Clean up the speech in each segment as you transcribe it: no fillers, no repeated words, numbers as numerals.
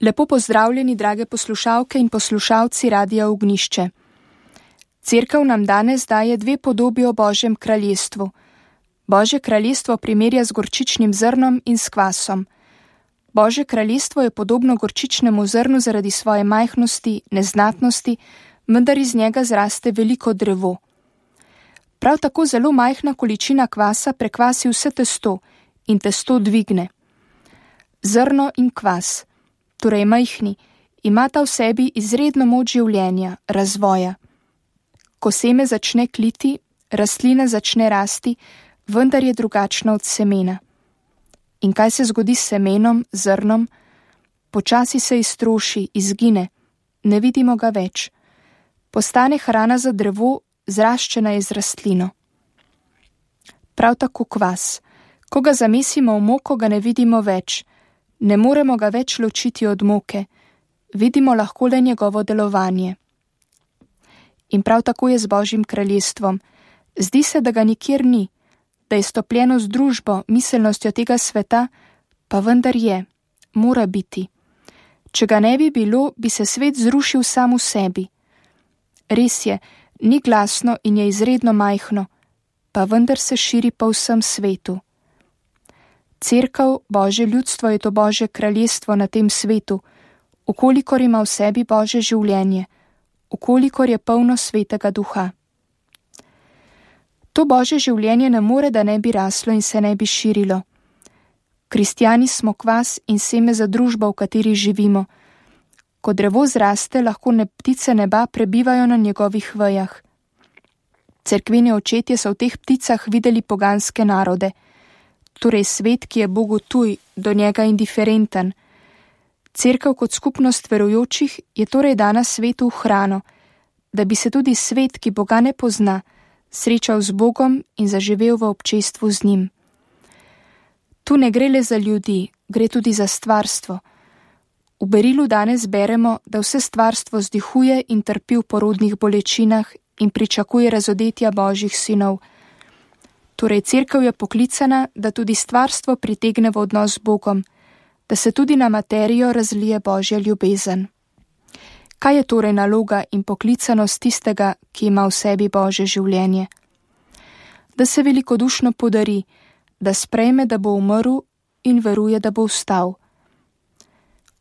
Lepo pozdravljeni, drage poslušalke in poslušalci Radia Ognjišče. Cerkev nam danes daje dve podobi o Božjem kraljestvu. Božje kraljestvo primerja z gorčičnim zrnom in s kvasom. Božje kraljestvo je podobno gorčičnemu zrnu zaradi svoje majhnosti, neznatnosti, vendar iz njega zraste veliko drevo. Prav tako zelo majhna količina kvasa prekvasi vse testo in testo dvigne. Zrno in kvas, torej majhni, imata v sebi izredno moč življenja, razvoja. Ko seme začne kliti, rastlina začne rasti, vendar je drugačna od semena. In kaj se zgodi s semenom, zrnom? Počasi se iztroši, izgine, ne vidimo ga več. Postane hrana za drevo, zraščena je z rastlino. Prav tako kvas. Ko ga zamesimo v moko, ga ne vidimo več. Ne moremo ga več ločiti od moke. Vidimo lahko le njegovo delovanje. In prav tako je z Božjim kraljestvom. Zdi se, da ga nikjer ni, da je stopljeno z družbo, miselnostjo tega sveta, pa vendar je, mora biti. Če ga ne bi bilo, bi se svet zrušil sam v sebi. Res je, ni glasno in je izredno majhno, pa vendar se širi po vsem svetu. Cerkev, Božje ljudstvo je to Božje kraljestvo na tem svetu, ukolikor ima v sebi Božje življenje, ukolikor je polno svetega duha. To Božje življenje ne more, da ne bi raslo in se ne bi širilo. Kristjani smo kvas in seme za družbo, v kateri živimo. Ko drevo zraste, lahko ptice neba prebivajo na njegovih vejah. Cerkveni očetje so v teh pticah videli poganske narode, torej svet, ki je Bogu tuj, do njega indiferenten. Cerkev kot skupnost verujočih je torej dana svetu v hrano, da bi se tudi svet, ki Boga ne pozna, srečal z Bogom in zaživel v občestvu z njim. Tu ne gre le za ljudi, gre tudi za stvarstvo. V berilu danes beremo, da vse stvarstvo zdihuje in trpi v porodnih bolečinah in pričakuje razodetja Božjih sinov. Torej, cerkev je poklicana, da tudi stvarstvo pritegne v odnos z Bogom, da se tudi na materijo razlije Božja ljubezen. Kaj je torej naloga in poklicanost tistega, ki ima v sebi Božje življenje? Da se velikodušno podari, da sprejme, da bo umrl in veruje, da bo vstal.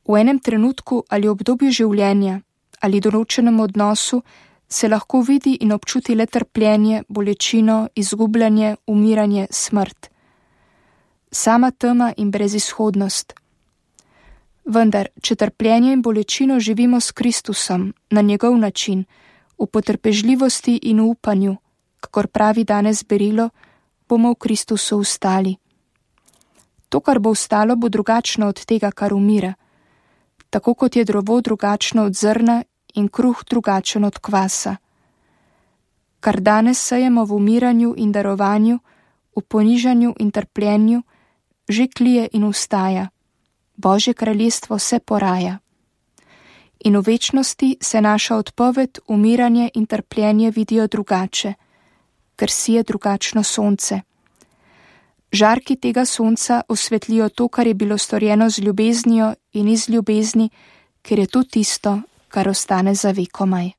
V enem trenutku ali obdobju življenja ali določenem odnosu se lahko vidi in občuti le trpljenje, bolečino, izgubljanje, umiranje, smrt. Sama tema in brezizhodnost. Vendar, če trpljenje in bolečino živimo s Kristusom, na njegov način, v potrpežljivosti in v upanju, kakor pravi danes berilo, bomo v Kristusu vstali. To, kar bo vstalo, bo drugačno od tega, kar umira. Tako kot je drevo drugačno od zrna in kruh drugačen od kvasa. Kar danes sejemo v umiranju in darovanju, v ponižanju in trpljenju, že klije in vstaja. Božje kraljestvo se poraja. In v večnosti se naša odpoved, umiranje in trpljenje vidijo drugače, ker sije drugačno sonce. Žarki tega sonca osvetlijo to, kar je bilo storjeno z ljubeznijo in iz ljubezni, ker je to tisto, kar ostane za vekomaj.